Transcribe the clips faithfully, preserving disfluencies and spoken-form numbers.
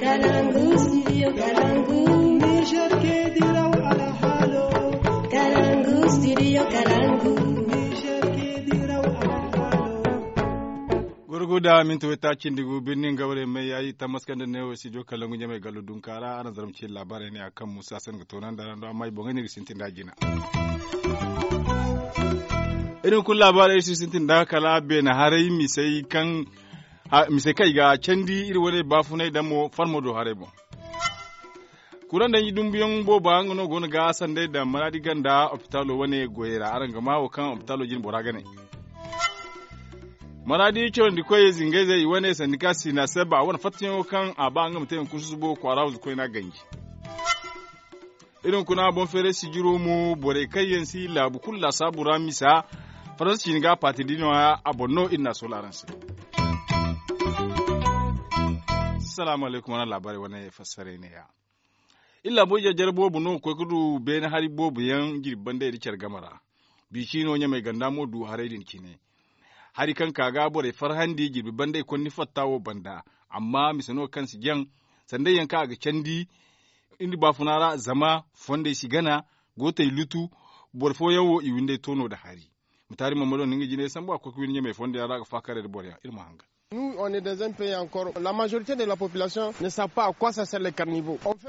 Kalangu studio kalangu. Niger ke diraw alhalo. Kalangu studio kalangu. Niger ke diraw alhalo. Gurgu da minti wayta cindi gu birnin gawre mai yayi tammaskanda ne wo studio kalangu ɲamai gallu dunka ra araŋ zarma ci labarai ne a kaŋ musa san ga toonandi araŋ do amma i boŋey no i ga sintin da jina. Irin kulu labaarey iri si sintin da kala beene haray misey kaŋ misey kaŋ i ga candi iri wane baafunay da mo farmo do haray boŋ. Kuraŋ danji dumbuyaŋ booba nga no go no ga sanday daŋ maraadi ganda opitaalo wane goyey ra araŋ ga maa wo kaŋ opitaalo jine bora ga ne. Maraadi corandi koyey zingayzey i wane sandika sina seba a wane fattayaŋo kaŋ a ba nga ma te hunkuna susubo kwaara huzu koyna ganji. Iri hunkuna boŋ feeray sijiro mo borey kaŋ yaŋ si laabu kulu laasaabu ra misa faransa ciini ga a paati da i nooya a boŋ no iri n'a soola araŋ se. Salaamu alaykum wane laabaarey wane fassaray neeya. Iri laabo jarjara boobo no ga koy ga du beene hari boobo yaŋ jirbi bandey nda care game ra. Biisi no ɲamey ganda mo du haray din cine. Hari kaŋ ka ga borey farhandi jirbi bandey konni fatta wo banda. Amma mise no kaŋ si jaŋ sanday yaŋ kaŋ a ga candi iri baafuna ra zama fondey si gana gootey lutu. Boro fooyaŋ wo i windey toono nda hari. Mutaari mammado no nga jinay sambu a ga koy ga windi ɲamey fondey ra a ga faakaray nda boro yaŋ iri ma hangan.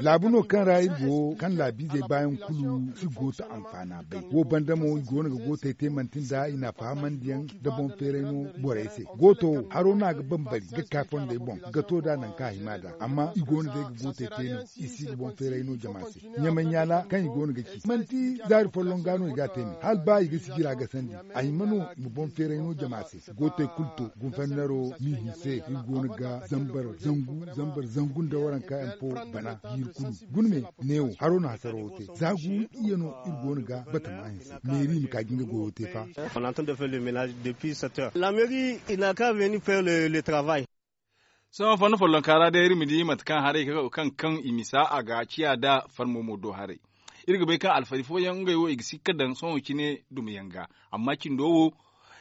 Laabu no kaŋ ra iri go kaŋ laabiizey baayaŋ kulu si gooto anfaana bay wo banda mo i go no ga gootey te manti nda i n'a fahamandiyaŋ nda boŋ feeray no borey se. Gooto wo haro no a ga bambari ga ka fondey boŋ ga to nd'a nangu kaŋ a hima nd'a amma i go no day ga gootey te no i si ga boŋ feeray no jama se. Ɲamay ɲaala kaŋ i go no ga ci manti zaari folloŋ ga no i ga a te me hala ba i ga sijira ga sandi a hima no i ma boŋ feeray no jama se. Gootey kulu to gunfannaro n'i hinse iri go no ga zambar zangu zambar zangu nda waranka yaŋ fo bana jiiri kulu. Guna me neewo haro no hasaro wo te za gu iyye no iri go no ga batama hinse meeri ma ka ga nga goyo te fa. Sohõ fanno follonka ra day iri ma di mate kaŋ haray kaŋ kaŋ i misa a ga ciya nda farmo mo do haray. Iri ga bay kaŋ alfari fooyaŋ ngey wo i ga si ga daŋ sohõ cine dumiyaŋ ga. Amma cindo wo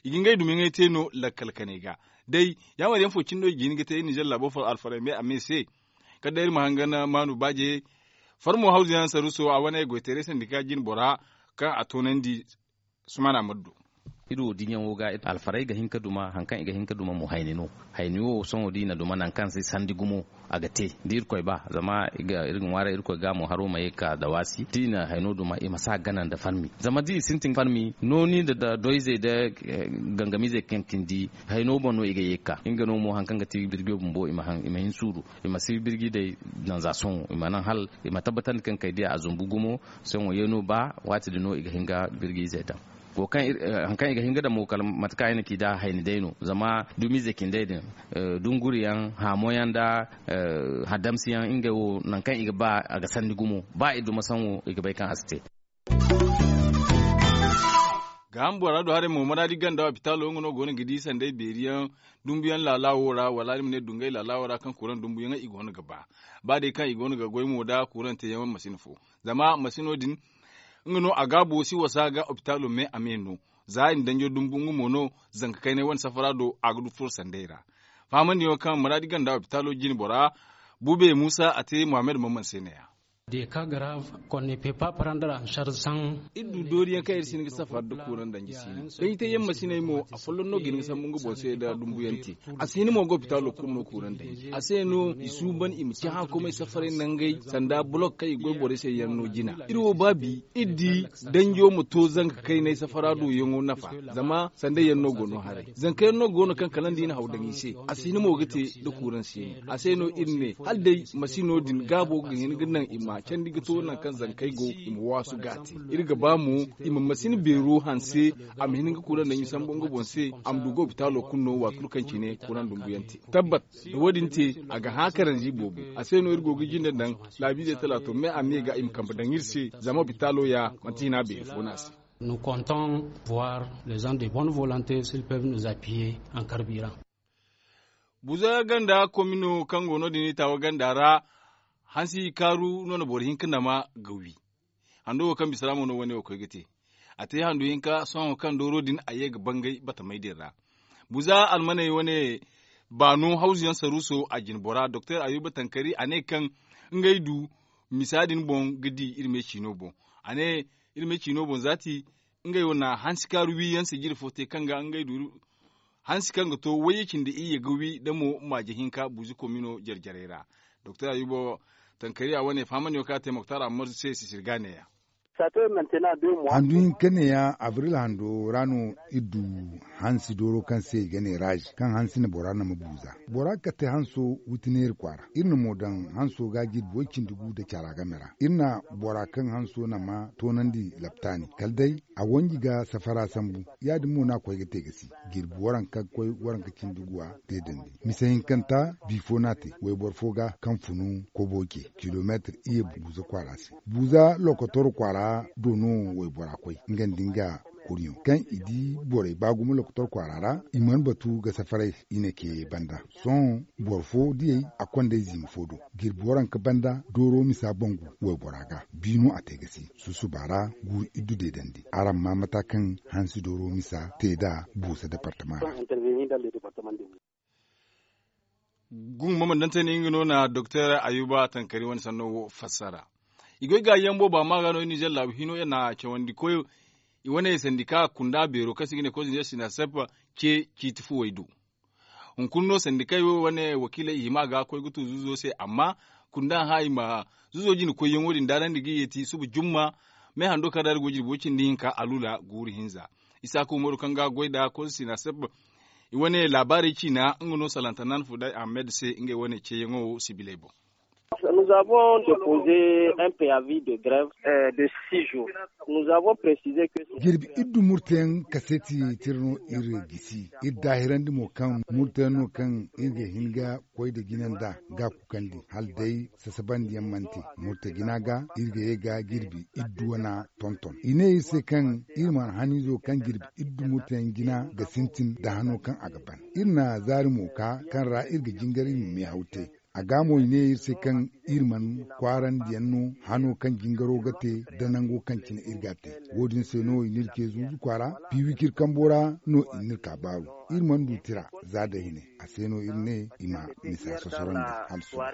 i ga ngey dumiyaŋey te no lakkal kanay ga. Day yaamar yaŋ fo cine no i ga hin ga te iri ninzeer laabo fo alfaray me a me se. Kala day iri ma hangan maanu baaje farmo hawzu yaŋ saruuso a wane goytaray sandika jine bora kaŋ a toonandi. Sumaana ma du. Iri wo diiyaŋo ga alfarey ga hin ga duma hari kaŋ i ga hin ga duma mo hayni no. Hayni wo sohõ da i na duma nangu kaŋ se sandi gumo a ga te da irkoy ba zama iri ga ŋwaaray irkoy ga mo haro ma ye ga ka dawaasi da i na hayno duma i ma si a gana nda farmi zama da i sintin farmi nooni nda doyzey nda gangamiizey kaŋ cindi hayno boŋ no i ga ye ga ka nga no mo hari kaŋ ga ti birjo bumbo i ma hin suuru. I ma si birji day nanza sohõ i ma naŋ hala i ma tabbatandi kaŋ kay day a zumbu gumo. Sohõ yeeno ba waati din no i ga hin ga birji izey daŋ. Hari kaŋ i ga hin ga daŋ mo kala mate kaŋ ay na ci nd'a hayni day no zama dumiize cindey din dunguriyaŋ haamoyaŋ nda haddamsiyaŋ ngey wo nangu kaŋ i ga ba a ga sandi gumo ba i duma saŋo i ga bay kaŋ a si te. Gaaham bora do haray mo maraadi ganda opitaalo nga no go no ga di sanday beeriyaŋ dumbuyaŋ laala wo ra wala ni ma ne dungay laala wo ra kaŋ kuraŋ dumbuyaŋey i go no ga ba. Ba day kaŋ i go no ga goy mo nda kuraŋ teeyaŋ wane masina fo zama masino din nga no a gaabo si wasa ga opitaalo me a me no. Za i na danjo dumbu nga mo no zanka kaynay wane safara do a ga du furo sanday ra. Fahamandiyaŋo kaŋ maraadi ganda opitaalo jine bora bube muusa a te muhammad mamman se neeya. Des cas graves qu'on ne peut pas prendre en charge sans. Iri du dooriyaŋ kaŋ iri si hin ga safari nda kuuraŋ danji si no danjitayyaŋ masiney mo afolloŋ no ga hin ga sambu nga boŋ se nda dumbuyaŋ te. A si hin mo ga opitaalo kulu no kuuraŋ danji a se no i suuban i ma ci haŋkomey safaray nangey sanda bolok kaŋ i goy borey se yaŋ no jina. Iri wo ba bi iri di danjo ma to zanka kaynay safara do yaŋo nafa. Zama sanda yaŋ no go no haray zanka yaŋ no go no kaŋ kala nda i na haw daŋ i se. A si hin mo ga te nda kuuraŋ se no a se no iri ne hala day masino din gaabo ga hin ga naŋ i ma candi ga to nangu kaŋ zankey go i ma waasu ga a te. Iri ga ba mo i ma masina beero hanse a ma hin ga kuuraŋ daŋ i sambu nga boŋ se. A ma du ga opitaalo kulu no waati kulu kaŋ cine kuuraŋ dumbuyaŋ te tabbat da wo- din te a ga hã karanzi boobo. A se no iri go ga jinde daŋ laabiizey talaato me a me ga i ma kambe daŋ iri se. Zama opitaalo ya manti hina beeri fo no a se. Nous comptons voir les gens de bonne volonté s'ils peuvent nous appuyer en carburant. Buza ganda komino kaŋ go no- din i taawa ganda ra hansi kaaru no na boro hinka nama ga wi. Hando wo kaŋ bisa ra mo no wane wo koy ga te. A te hando hinka sohõ kaŋ dooro din a ye ga bangay batamey din ra. Buza almaney wane baano hawzu yaŋ saruuso a jine bora doktor ayuba tankari a ne kaŋ ngey du misa din boŋ ga di iri me ciino boŋ. A ne iri me ciino boŋ zaati ngey wo na hansi kaaru wi yaŋ se jire fo te kaŋ ga ngey du hansi kaŋ ga to wayye cindi iyye ga wi da mo maaje hinka buuzi komino jare jarey ra. Doktor ayuba tankari a wane fahamandi wo kaŋ a te moktar ammar se sisirga neeya. Handu hinka neeya abril hando ra no iri du hansi dooro kaŋ se i ga ne raazi kaŋ hansi na bora nama buuza. Bora ga kate hanso witineeri kwaara iri na mo daŋ hanso ga jirbi way cindi gu nda cara game ra iri na bora kaŋ hanso nama toonandi laptaani kala day a wanji ga safara sambu. Ya- din mo no a koy ga te ga si jirbi waranka ga koy waranka cindi guwa deedandi. Misa hinkanta bi fo no a te wayboro fo ga kaŋ funu kobo ce kilomeetir iyye buuza kwaara se. Buuza lokotor kwaara do no waybora koy nga nda nga kurɲo kaŋ i di borey ba gumo lokotor kwaara ra i mana batu ga safaray i na ke banda. Sohõ boro fo diyey a kond'ey ziima fo do jirbi waranka banda dooro misa bangu waybora ga bi no a te ga si. Susuba ra guuru iddu deedandi araŋ ma mata kaŋ hansi dooro misa te nd'a buusa departama ra. Gungu ma mana dantey no nga no na doktor ayuba tankari wane sanno wo fassara. I goy ga yaŋ booba ma ga no nizer laabu hino yaŋ na cawandi koy i wane sandika kunda beero kaŋ se i ga ne koy sinasep ce ciiti fuwey do. Hunkuna no sandikey wo wane wakiiley i hima ga koy ga tu zuuzo se amma kunda hã i ma zuuzo jine koyyaŋo din daarandi ga yeeti suba jumma. Me hando kaŋ ra iri go jirbi way cindi hinka alula guuru hinza. Isaaku umaru kaŋ ga goy nda koy sinasep i wane laabaarey ciina nga no salantanan fuday ahmed se ngey wane ceeyaŋo sibiley boŋ. Jirbi iddu murteyaŋ kaseeti tira no iri gisi iri daahirandi mo kaŋ murteyaŋ no kaŋ iri ga hin ga koy nda jina nda ga kukandi hala day sasabandiyaŋ mana te murte jina ga iri ga ye ga jirbi iddu wana tonton i ne iri se kaŋ iri mana haniizo kaŋ jirbi iddu murteyaŋ jina ga sintin nda hano kaŋ a ga ban. Iri na zaari mo ka kaŋ ra iri ga jingar iri ma meehaw te. A ga mo i ne iri se kaŋ iri mana kwaarandiyaŋ no hano kaŋ jingaro ga te nda nango kaŋ cine iri ga a te. Wo- din se no i n'iri ce zuuzu kwaara piiwicir kambo ra no i n'iri ka baaru. Iri mana du tira za da hine a se no iri ne i ma misa sosorandi hala sohõ.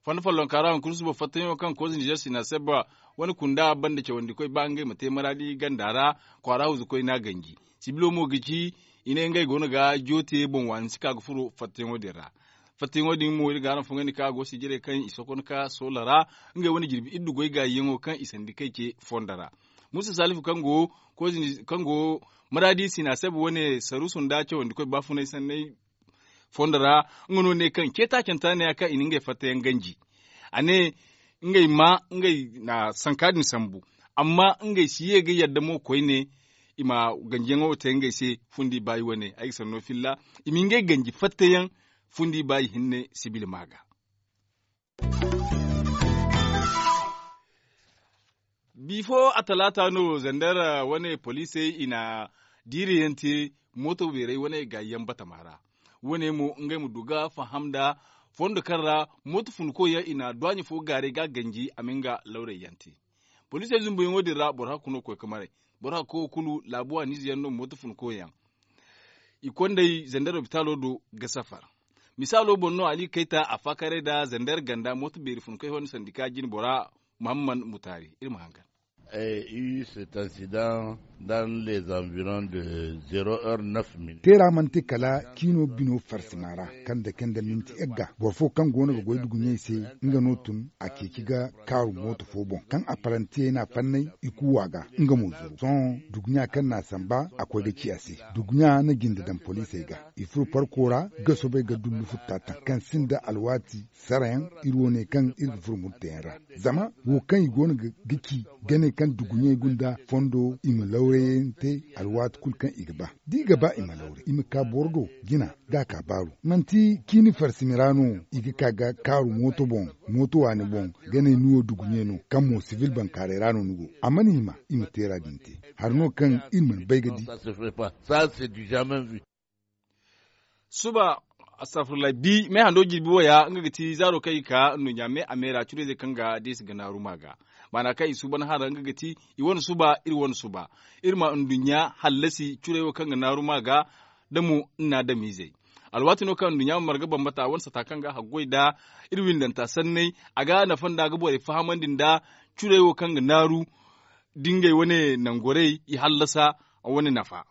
Fondo follonka ra hunkuna suba fatteyaŋo kaŋ koze nizer sina sebba wane kunda banda cawandikoy ba ngey ma te maraadi ganda ra kwaara huzukoy no a ganji. Sibilo mo ga ci i ne ngey go no ga joote boŋ waani si ka ga furo fatteyaŋo din ra. Fatteyaŋo din mo iri ga araŋ fongandi kaŋ a go sijirey kaŋ i sokon ka soola ra ngey wane jirbi iddu goy gaayiyaŋo kaŋ i sandi kay ce fondo ra. Musa salifu kaŋ go maraadi sina sebba wane saruusu nda cawandikoy baafunay sanney fondo ra. Nga no ne kaŋ ceetaacanta ne ya kaŋ i na ngey fattayaŋ ganji. A ne ngey ma ngey na sanka din sambu amma ngey si ye ga yadda mo koyne i ma ganjiyaŋo te ngey se. Fundi baayi wane ay ga sanno filla i ma ngey ganji fattayaŋ fundi baayi hinne sibili ma ga. Bifo a talaata no zandar wane poliisey i na diiriyaŋ te mooto beerey wane gaayiyaŋ batama ra. Wane mo ngey ma du ga faham nda fondo kaŋ ra mooto funkoyaŋ i na duwaaɲe fo gaaray ga a ganji a ma nga lawrayyaŋ te. Poliisey zumbuyaŋo din ra boro hakku no koy ga maray. Boro hakko kulu laabu waaniize yaŋ no mooto funkoyaŋ i kondey zandar lopitaalo do ga safar. Misaalo boŋ no ali kayta a faakaray nda zandar ganda mooto beeri funkoy honda sandika jine bora. Muhammad mutaari iri ma hangan. Iri se tansidan dan les environs de zero heure neuf minutes. Teera mana te kala ciino bino farsima ra kaŋ dake nda minti egga boro fo kaŋ go no ga goy duguɲey se. Nga no tun a ceeci ga kaaru mooto fo boŋ kaŋ a palantiyey n'a fannay i kuuwa ga. Nga mo zuru sohõ duguɲa kaŋ n'a samba a koy ga ci a se. Duguɲa na jinde daŋ poliisey ga i furo parko ra ga soobay ga dullu futta taŋ kaŋ sinda alwaati sarayaŋ iri wo ne kaŋ iri ga furo murteyaŋ ra. Zama wo kaŋ i go no ga ci ga ne kaŋ duguɲey gunda fondo i ma lawrayaŋ te alwaati kulu kaŋ i ga ba da i ga ba i ma lawray i ma ka boro do jina ga a ka baaru. Manti ciini farsimi ra no i ga ka ga kaaru mooto boŋ mooto waani boŋ ga ne ni wo duguɲey no kaŋ mo sibil bankaaray ra no ni go a mana hima i ma teera din te. Hari no kaŋ iri mana bay ga di. Suba astafurlay bi me hando jirbi waya nga ga ti zaaro kaŋ i ka nduɲɲa me a me ra curayzey kaŋ ga deesi ga naaru ma ga. Maana kaŋ i suuban hara nga ga ti i wane suba iri wane suba. Iri ma nduɲɲa hallasi curey wo kaŋ ga naaru ma ga da mo nna adamizey. Alwaati no kaŋ nduɲɲa ma marga bambata a wane sata kaŋ ga haggoy nda iri windanta sanney. A ga nafa nda ga borey fahamandi nda curey wo kaŋ ga naaru da ngey wane nangorey i hallasa wane nafa.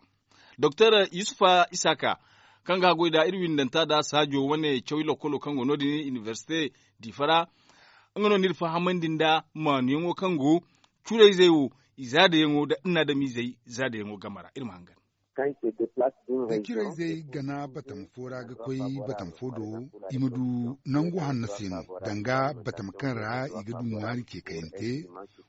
Doktor yusufa isaaka kaŋ ga haggoy nda iri windanta nda saajo wane cawi lokkolo kaŋ go no- din inibersite diifa ra. Nga no n'iri fahamandi nda maanuyaŋo kaŋ go curayzey wo i zaadayaŋo nda nna adamizey zaadayaŋo game ra iri ma hangan. Da curayzey gana batama fo ra ga koy batama fo do i ma du nangu hanno se no danga batama kaŋ ra i ga du ŋwaari ce kayante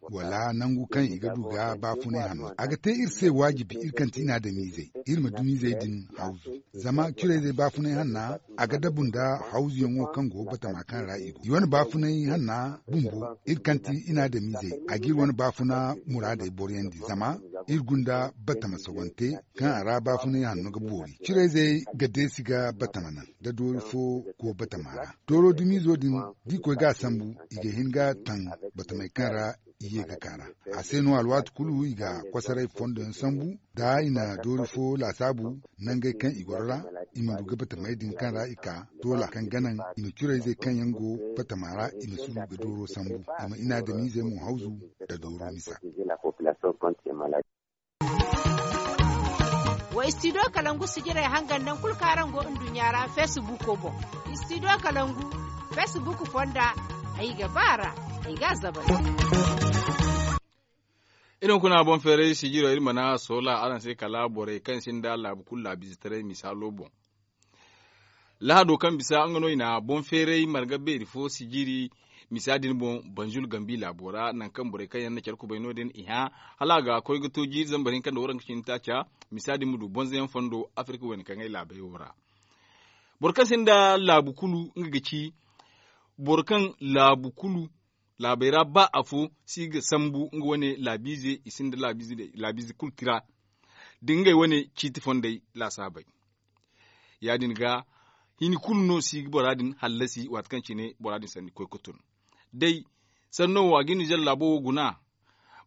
wala nangu kaŋ i ga du ga baafunay hanno a ga te iri se waajibi iri kaŋ ti i na adamizey iri ma dumizey din hawzu. Zama curayzey baafunay hanna a ga dabu nda hawzuyaŋo kaŋ go batama kaŋ ra i go i wane baafunay hanna bumbo iri kaŋ ti i na adamizey a g'iri wane baafuna muraadey boroyandi zama iri gunda batama sogante kaŋ a ra baafunay hanno ga boori curayzey ga deesi ga batama naŋ da doori fo go batama ra. Dooro dumiizo din da i koy ga a sambu i ga hin ga taŋ batamey kaŋ ra i ye ga ka ra. A se no alwaati kulu i ga kosoray fondo yaŋ sambu da i na doori fo laasaabu nangey kaŋ i goro ra i ma du ga batamey din kaŋ ra i ka toola kaŋ ga naŋ i ma curayzey kaŋ yaŋ go batama ra i ma suuru ga dooro sambu i ma inaadamizey mo hawzu nda dooro misa. Wa istidiyo kalangu sijirey hangan naŋ kulu kaŋ araŋ go nduɲɲa ra feesibuuko boŋ. Istidiyo kalangu feesibuuko fonda ay ga ba a ra ay ga a zabay. Iri hunkuna boŋ feeray sijiro iri mana soola araŋ se kala borey kaŋ sinda laabu kulu laabiizetaray misaalo boŋ. Lahado kaŋ bisa nga no i na boŋ feeray marga beeri fo sijiri misa din boŋ banzul gambi laabo ra nangu kaŋ borey kaŋ yaŋ na care kubay no- din i hã hala a ga koy ga to jiiri zambar hinka nda waranka cindi taaca. Misa din ma du bonza yaŋ fondo afirka wayna kaŋ ay laabey wo ra. Boro kaŋ sinda laabu kulu nga ga ci boro kaŋ laabu kulu laabey ra ba afo si ga sambu nga wane laabiize i sinda laabiize kulu tira da ngey wane ciiti fondey laasaabey. Ya- din ga hini kulu no si ga bora din hallasi waati kaŋ cine bora din sanni koy ga tun day sanno wo a ga i nizer laabo wo guna.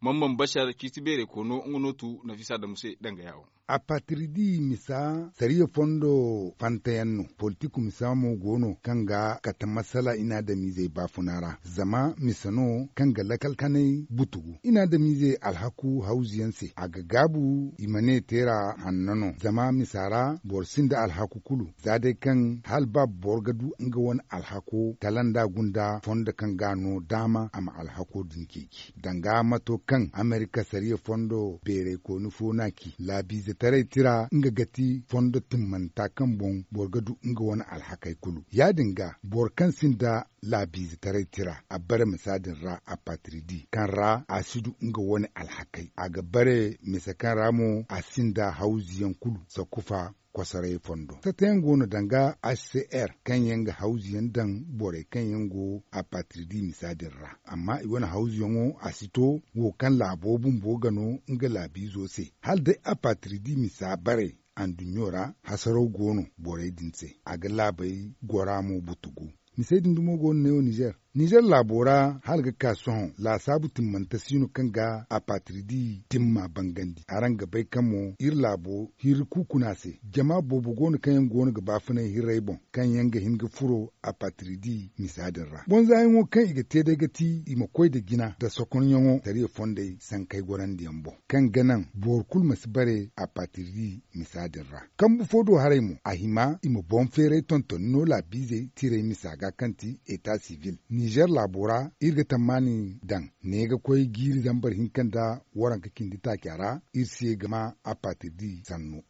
Mambam bashar ciiti beerey koono nga no tu nafisa damu se danga yaawo. Apatiridi misa sariya fondo fantayaŋ no politiku misa mo go no kaŋ ga kate masala inaadamiizey baafuna ra zama misa no kaŋ ga lakal kanay butugu inaadamiizey alhaku hawzu yaŋ se a ga gaabu i ma ne teera hanno no zama misa ra boro sinda alhaku kulu za day kaŋ hala ba boro ga du nga wane alhako kala nda gunda fondo kaŋ ga a no daama a ma alhako din ceeci danga mato kaŋ amerika sariya fondo beeraykooni fo no a ci laabiizetaray tira nga ga ti fondo timmanta kaŋ boŋ boro ga du nga wane alhakey kulu ya- din ga boro kaŋ sinda laabiizetaray tira a bare misa din ra apatiridi kaŋ ra a si du nga wane alhakey a ga bare misa kaŋ ra mo a sinda hawzuyaŋ kulu sakufa kosoray fondo satayaŋ go no danga hcr kaŋ yaŋ ga hawzuyaŋ daŋ borey kaŋ yaŋ go apatiridi misa din ra amma i wane hawzuyaŋo a si to wo kaŋ laabo bumbo ga no nga laabiizo se hala day apatiridi misa bare anduɲɲo ra hasaraw go no borey din se a ga laabey gora mo butugu. Misey din dumo go no neewo nizer nizer laabo ra hala ga ka sohõ laasaabu timmante si no kaŋ ga apatiridi timma bangandi araŋ ga bay kaŋ mo iri laabo hirri kuukuna se jama boobo go no kaŋ yaŋ go no ga baafunay hirrey boŋ kaŋ yaŋ ga hin ga furo apatiridi misa din ra bonzaayaŋo kaŋ i ga te day ga ti i ma koy nda jina nda sokonyaŋo sariya fondey sankey gorandiyaŋ boŋ kaŋ ga naŋ boro kulu ma si bare apatiridi misa din ra kambu fo do haray mo a hima i ma boŋ feeray tontoni no laabiizey tiray misa ga kaŋ ti eta sivil nizer laabo ra iri ga tammaani daŋ ne ga koy jiiri zambar hinka nda waranka cindi taaca ra iri se ga ma apatirdi sanno.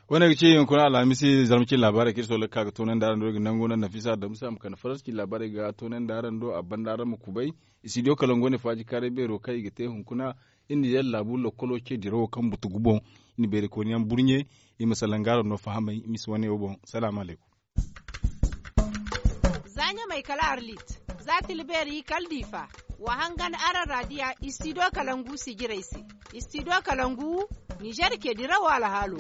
Wane ga ci hunkuna alhamisi zarma cin laabaarey kaŋ iri soolay ga ka ga toonandi araŋ do iri ga nangu nda nafisa damusa ma kande faransa cin laabaarey ga toonandi araŋ do a banda araŋ ma kubay. Istidiyo kalangu wane faaji kaaray beero kaŋ i ga te hunkuna iri nizer laabu lokkolo ce dirawo kaŋ butu guboŋ. Iri na beerikooni yaŋ burɲe iri ma salaŋ ga araŋ no fahamay misa wane wo boŋ. Salaamu alaykum. Za ɲamay kala arlit za tilbeeri kala diifa. Wa hangan araŋ raadiya istidiyo kalangu sijirey se. Istidiyo kalangu nizer ce dirawo alhaalo.